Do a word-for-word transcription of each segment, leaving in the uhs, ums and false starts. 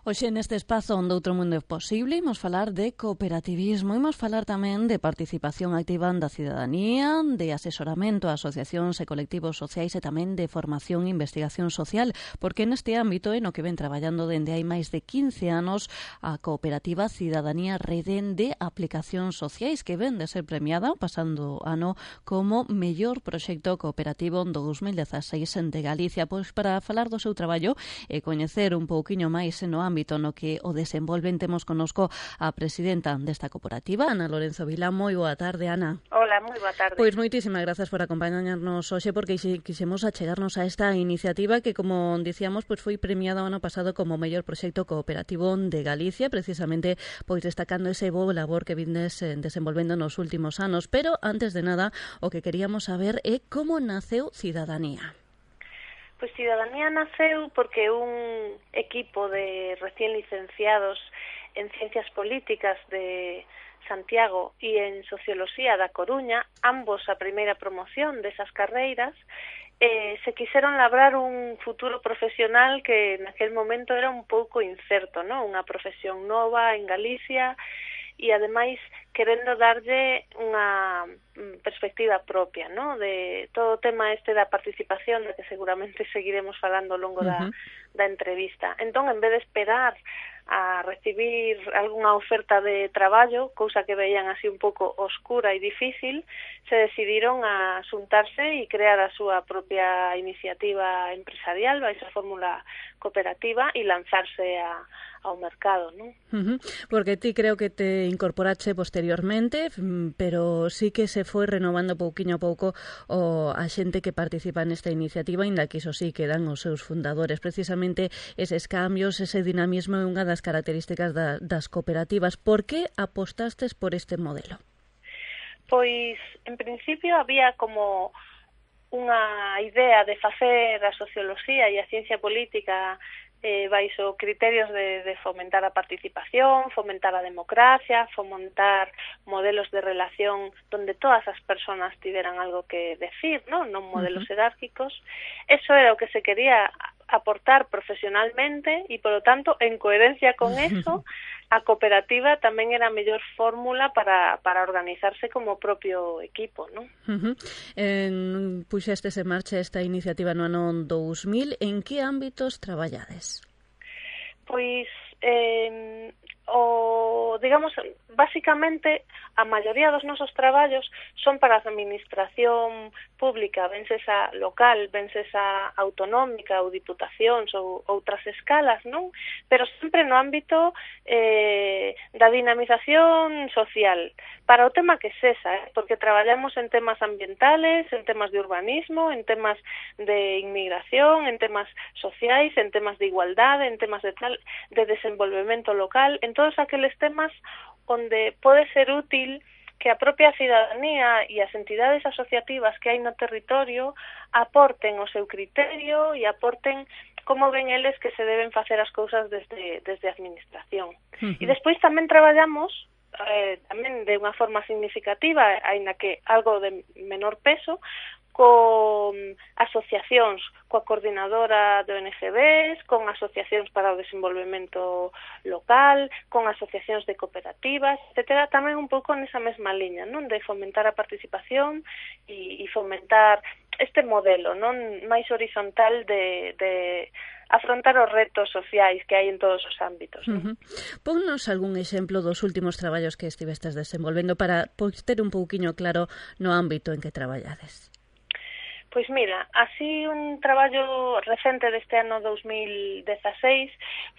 Hoxe neste espazo onde outro mundo é posible imos falar de cooperativismo, imos falar tamén de participación activa da cidadanía, de asesoramento a asociacións e colectivos sociais e tamén de formación e investigación social, porque neste ámbito é no que ven traballando dende hai máis de quince anos a cooperativa Cidadanía Rede de Aplicacións Sociais, que ven de ser premiada pasando ano como mellor proxecto cooperativo do dos mil dezaseis de Galicia. Pois para falar do seu traballo e coñecer un pouquiño máis no ámbito no que o desenvolven, temos connosco a presidenta desta cooperativa, Ana Lorenzo Vilá. Moi boa tarde, Ana. Hola, moi boa tarde. Pois moitísimas grazas por acompañarnos hoxe, porque quixemos achegarnos a esta iniciativa que, como dicíamos, pois foi premiada o ano pasado como mellor proxecto cooperativo de Galicia, precisamente pois destacando ese bo labor que vindes desenvolvendo nos últimos anos. Pero, antes de nada, o que queríamos saber é como naceu Cidadanía. Pois Cidadanía naceu porque un equipo de recién licenciados en Ciencias Políticas de Santiago e en Socioloxía da Coruña, ambos a primeira promoción desas carreiras, eh, se quixeron labrar un futuro profesional que naquel momento era un pouco incerto, ¿no? Unha profesión nova en Galicia e, ademais, querendo darlle unha perspectiva propia, ¿no? De todo o tema este da participación, de que seguramente seguiremos falando ao longo da, uh-huh. da entrevista. Entón, en vez de esperar a recibir algunha oferta de traballo, cousa que veían así un pouco oscura e difícil, se decidiron a xuntarse e crear a súa propia iniciativa empresarial, a esa fórmula cooperativa, e lanzarse a, ao mercado, ¿no? Uh-huh. Porque ti creo que te incorporache posteriormente, pero sí que se foi renovando pouquiño a pouco o a xente que participa nesta iniciativa, ainda que iso sí quedan os seus fundadores. Precisamente eses cambios, ese dinamismo é unha das características da, das cooperativas. Por que apostastes por este modelo? Pois, en principio, había como unha idea de facer a socioloxía e a ciencia política eh, baixo criterios de, de fomentar a participación, fomentar a democracia, fomentar modelos de relación donde todas as persoas tiveran algo que decir, ¿no? Non modelos uh-huh. jerárquicos. Eso era o que se quería aportar profesionalmente e, por lo tanto, en coherencia con eso, a cooperativa tamén era a mellor fórmula para, para organizarse como propio equipo, ¿no? Uh-huh. En, puxestes en marcha esta iniciativa no ano dous mil. En que ámbitos traballades? Pois, eh, o, digamos, basicamente, a maioría dos nosos traballos son para a administración pública, vense esa local, vense esa autonómica ou diputacións ou outras escalas, non? Pero sempre no ámbito eh, da dinamización social, para o tema que sesa, eh? Porque traballamos en temas ambientales, en temas de urbanismo, en temas de inmigración, en temas sociais, en temas de igualdade, en temas de tal de desenvolvemento local, en todos aqueles temas onde pode ser útil que a propia cidadanía e as entidades asociativas que hai no territorio aporten o seu criterio e aporten como ven eles que se deben facer as cousas desde, desde a administración. Uh-huh. E despois tamén traballamos eh, tamén de unha forma significativa, aínda que algo de menor peso, con asociacións, coa coordinadora de O N G Bs, con asociacións para o desenvolvemento local, con asociacións de cooperativas, etcétera, tamén un pouco nesa mesma liña, non? De fomentar a participación e, e fomentar este modelo, non? Máis horizontal de, de afrontar os retos sociais que hai en todos os ámbitos, non? Uh-huh. Ponnos algún exemplo dos últimos traballos que estivestes desenvolvendo para pois, ter un pouquiño claro no ámbito en que traballades. Pois mira, así un traballo recente deste ano dous mil dezaseis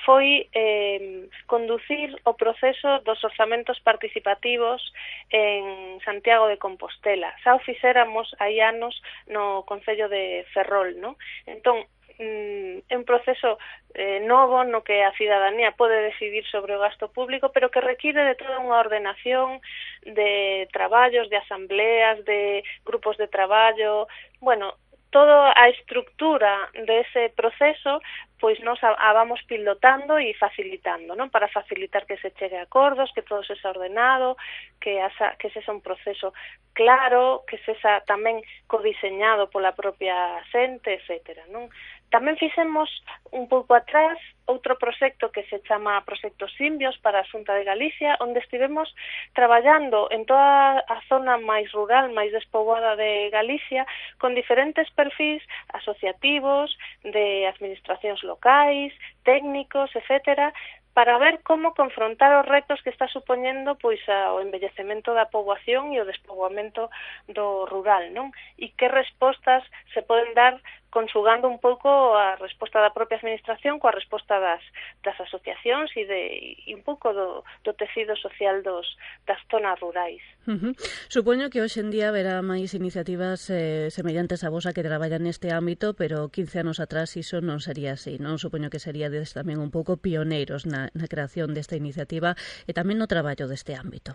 foi eh, conducir o proceso dos orzamentos participativos en Santiago de Compostela. Xa o fixéramos hai anos no Concello de Ferrol, ¿no? Entón, é un proceso eh, novo no que a cidadanía pode decidir sobre o gasto público, pero que require de toda unha ordenación de traballos, de asambleas, de grupos de traballo. Bueno, toda a estructura dese proceso pois nos a, a vamos pilotando e facilitando, non? Para facilitar que se chegue a acordos, que todo se xa ordenado, que asa, que se xa un proceso claro, que se xa tamén codiseñado pola propia xente, etcétera, non? Tamén fixemos un pouco atrás outro proxecto que se chama Proxecto Simbios para a Xunta de Galicia, onde estivemos traballando en toda a zona máis rural, máis despoboada de Galicia, con diferentes perfis asociativos, de administracións locais, técnicos, etcétera, para ver como confrontar os retos que está supoñendo pois o envellecemento da poboación e o despoboamento do rural, non? E que respostas se poden dar consugando un pouco a resposta da propia administración coa resposta das, das asociacións e, de, e un pouco do, do tecido social dos, das zonas rurais. Uh-huh. Supoño que hoxe en día haberá máis iniciativas eh, semellantes a vosa que traballan neste ámbito, pero quince anos atrás iso non sería así, non? Supoño que seríades tamén un pouco pioneiros na, na creación desta iniciativa e tamén no traballo deste ámbito.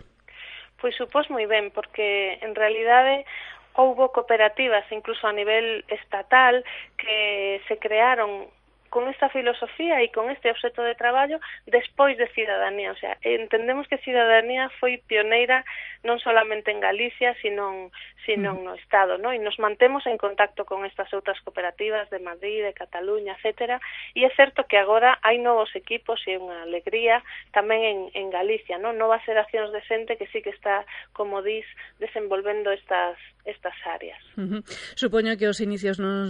Pois supós moi ben, porque en realidade houbo cooperativas, incluso a nivel estatal, que se crearon con esta filosofía e con este obxecto de traballo despois de Cidadanía. O sea, entendemos que Cidadanía foi pioneira non solamente en Galicia, sino, sino no Estado, ¿no? E nos mantemos en contacto con estas outras cooperativas de Madrid, de Cataluña, etcétera. E é certo que agora hai novos equipos e unha alegría tamén en, en Galicia, ¿no? Novas xeracións de xente que sí que está, como dis, desenvolvendo estas estas áreas. Uh-huh. Supoño que os inicios non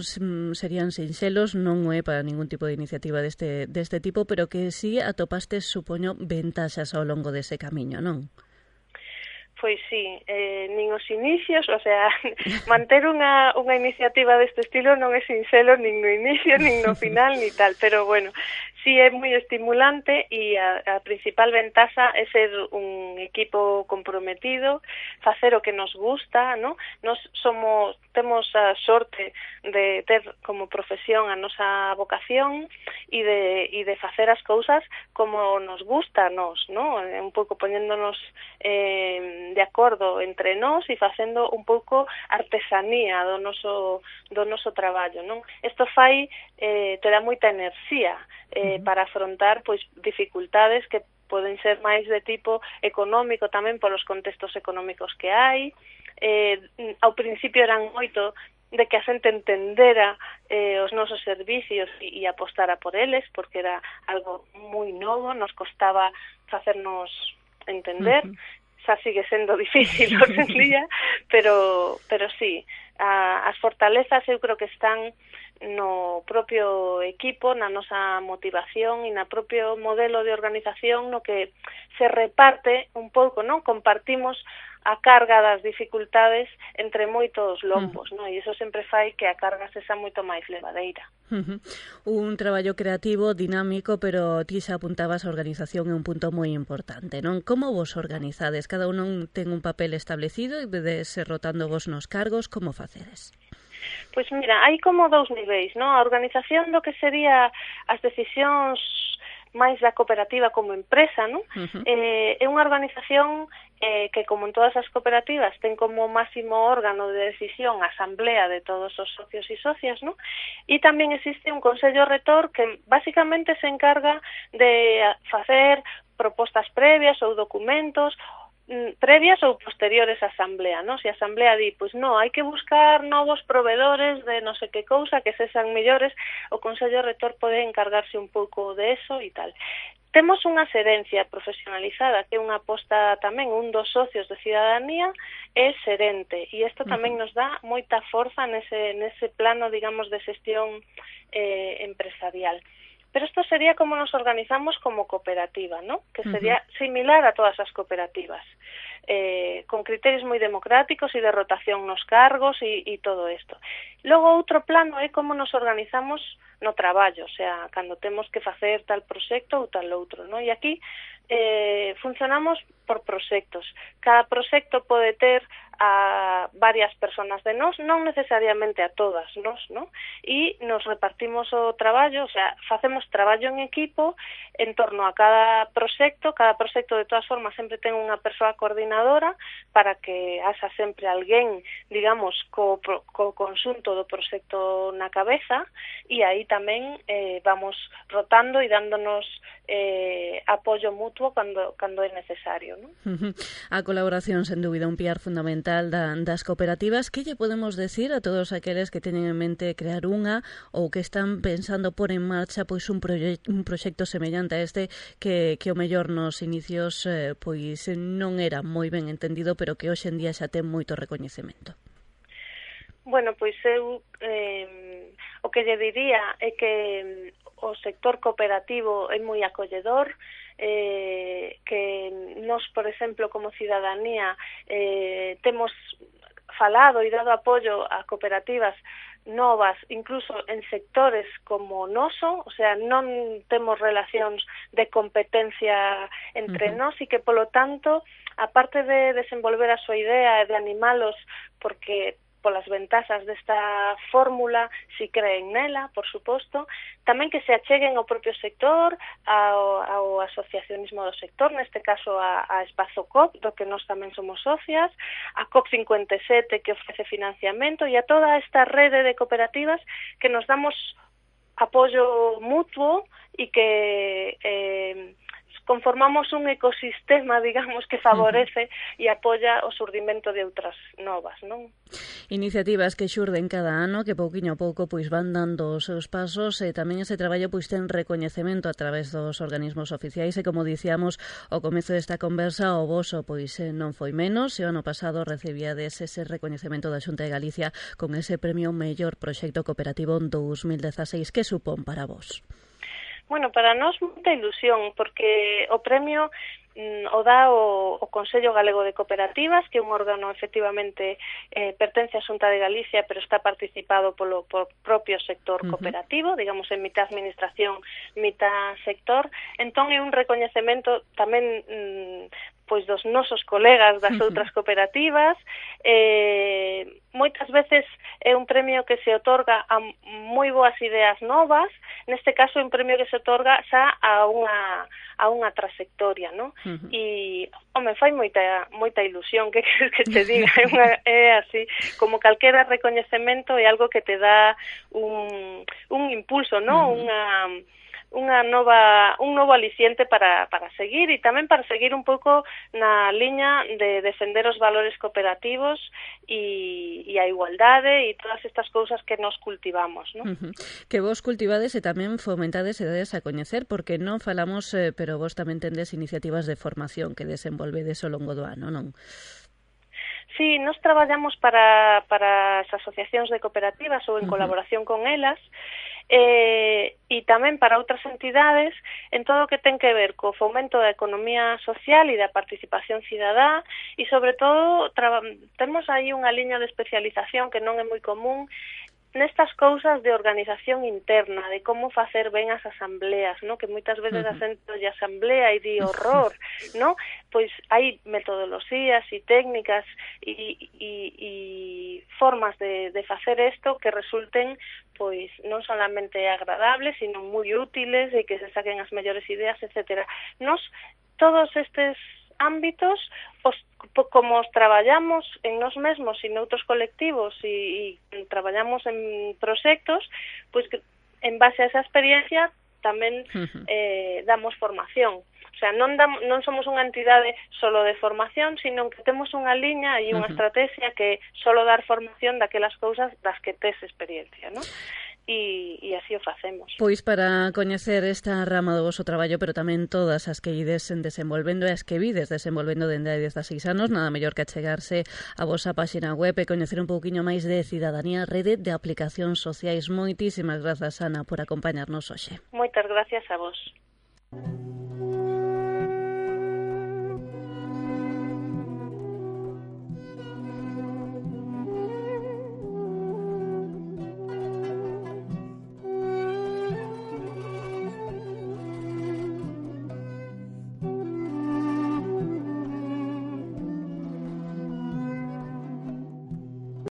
serían sinxelos, non é para ningún tipo de iniciativa deste, deste tipo, pero que sí atopastes, supoño, ventaxas ao longo dese camiño, non? Pois sí, eh, nin os inicios, o sea, manter unha, unha iniciativa deste estilo non é sinxelo nin no inicio, nin no final, ni tal, pero bueno, sí é moi estimulante e a, a principal ventaxa é ser un equipo comprometido, facer o que nos gusta, ¿no? Nos somos, temos a sorte de ter como profesión a nosa vocación e de, e de facer as cousas como nos gusta a nos, ¿no? Un pouco poñéndonos eh, de acordo entre nós e facendo un pouco artesanía do noso, do noso traballo, non? Isto fai, eh, te dá moita enerxía eh, uh-huh. para afrontar pois dificultades que poden ser máis de tipo económico tamén polos contextos económicos que hai. Eh, ao principio eran moito de que a xente entendera eh, os nosos servicios e, e apostara por eles, porque era algo moi novo, nos costaba facernos entender. Uh-huh. Xa sigue sendo difícil hoxe en día, pero, pero sí, a, as fortalezas eu creo que están no propio equipo, na nosa motivación e na propio modelo de organización no que se reparte un pouco, non? Compartimos a carga das dificultades entre moitos lombos, uh-huh. non? E iso sempre fai que a carga sexa moito máis levadeira. Uh-huh. Un traballo creativo, dinámico, pero ti xa apuntabas a organización é un punto moi importante, non? Como vos organizades? Cada un ten un papel establecido e vedes rotando vos nos cargos, como facedes? Pois mira, hai como dous niveis, non? A organización do que sería as decisións máis da cooperativa como empresa, non? Uh-huh. Eh, é unha organización eh, que, como en todas as cooperativas, ten como máximo órgano de decisión a asamblea de todos os socios e socias, non? E tamén existe un consello retor que basicamente se encarga de facer propostas previas ou documentos previas ou posteriores á asamblea, non? Se a asamblea di, pois non, hai que buscar novos provedores de non sei que cousa que sexan mellores, o Consello Rector pode encargarse un pouco de eso e tal. Temos unha xerencia profesionalizada, que é unha aposta tamén, un dos socios de Cidadanía é xerente, e isto tamén nos dá moita forza nese, nese plano, digamos, de xestión eh, empresarial. Pero isto sería como nos organizamos como cooperativa, ¿no? Que sería uh-huh. similar a todas as cooperativas, eh, con criterios moi democráticos e de rotación nos cargos e, e todo isto. Logo, outro plano é como nos organizamos no traballo, o sea, cando temos que facer tal proxecto ou tal outro, ¿no? E aquí eh, funcionamos por proxectos. Cada proxecto pode ter a varias personas de nós, non necesariamente a todas nós, ¿no? E nos repartimos o traballo, o sea, facemos traballo en equipo en torno a cada proxecto. Cada proxecto, de todas formas, sempre ten unha persoa coordinadora para que haxa sempre alguén, digamos, co, co conxunto todo o proxecto na cabeza, e aí tamén eh, vamos rotando e dándonos eh, apoio mutuo cando, cando é necesario, non? A colaboración, sen dúbida, un piar fundamental da, das cooperativas. Que lle podemos decir a todos aqueles que teñen en mente crear unha ou que están pensando por en marcha pois un, proye un proxecto semellante a este que, que o mellor nos inicios eh, pois non era moi ben entendido, pero que hoxe en día xa ten moito recoñecemento? Bueno, pois eu eh, o que lle diría é que o sector cooperativo é moi acolledor, eh, que nos, por exemplo, como cidadanía, eh, temos falado e dado apoio a cooperativas novas, incluso en sectores como o noso, o sea, non temos relacións de competencia entre uh-huh. nós, e que, polo tanto, aparte de desenvolver a súa idea e de animalos, porque polas ventaxas desta fórmula, si creen nela, por suposto, tamén que se acheguen ao propio sector, ao, ao asociacionismo do sector, neste caso a, a Espazo COP, do que nós tamén somos socias, a COP cincuenta e sete, que ofrece financiamento, e a toda esta rede de cooperativas que nos damos apoio mutuo e que eh, conformamos un ecosistema, digamos, que favorece e apoia o surdimento de outras novas, non? Iniciativas que xurden cada ano, que pouquiño a pouco pois van dando os seus pasos, e tamén ese traballo pois ten recoñecemento a través dos organismos oficiais, e como dicíamos ao comezo desta conversa, o voso pois non foi menos, e o ano pasado recibíades ese recoñecemento da Xunta de Galicia con ese premio Mellor Proxecto Cooperativo en dous mil dezaseis. Que supón para vos? Bueno, para nós moita ilusión, porque o premio mm, o dá o, o Consello Galego de Cooperativas, que é un órgano efectivamente eh, pertence á Xunta de Galicia, pero está participado polo por propio sector cooperativo, uh-huh. digamos, en mitad administración, mitad sector. Entón é un recoñecemento tamén mm, pois dos nosos colegas das outras cooperativas. Eh, moitas veces é un premio que se otorga a moi boas ideas novas, neste caso é un premio que se otorga xa a unha a unha trayectoria, ¿no? Uh-huh. E, home, fai moita moita ilusión, que queres que te diga, é, unha, é así, como calquera recoñecemento é algo que te dá un, un impulso, ¿no? Uh-huh. Unha unha nova un novo aliciente para, para seguir, e tamén para seguir un pouco na liña de defender os valores cooperativos e, e a igualdade e todas estas cousas que nos cultivamos, non? Uh-huh. Que vos cultivades e tamén fomentades e dades a coñecer, porque non falamos, eh, pero vos tamén tendes iniciativas de formación que desenvolvedes ao longo do ano, non? Sí, nos traballamos para, para as asociacións de cooperativas ou en uh-huh. colaboración con elas, eh, e tamén para outras entidades en todo o que ten que ver co fomento da economía social e da participación cidadá, e sobre todo temos aí unha liña de especialización que non é moi común nestas cousas de organización interna, de como facer ben as asambleas, ¿no? Que moitas veces uh-huh. a xente de asamblea e di horror, ¿no? Pois hai metodoloxías e técnicas e, e, e formas de, de facer isto que resulten pois non solamente agradables, sino moi útiles e que se saquen as mellores ideas, etcétera. Nos, todos estes ámbitos, os, como os traballamos en nós mesmos e noutros colectivos e, e traballamos en proxectos, pois que en base a esa experiencia tamén uh-huh. eh, damos formación. O sea, non, dam, non somos unha entidade solo de formación, sino que temos unha liña e unha uh-huh. estrategia que solo dar formación daquelas cousas das que tes experiencia, non? E, e así o facemos. Pois para coñecer esta rama do voso traballo, pero tamén todas as que ides desenvolvendo e as que vides desenvolvendo dende hai dezasseis anos, nada mellor que achegarse a vosa páxina web e coñecer un pouquiño máis de Cidadanía, Rede de Aplicacións Sociais. Moitísimas grazas, Ana, por acompañarnos hoxe. Moitas gracias a vos.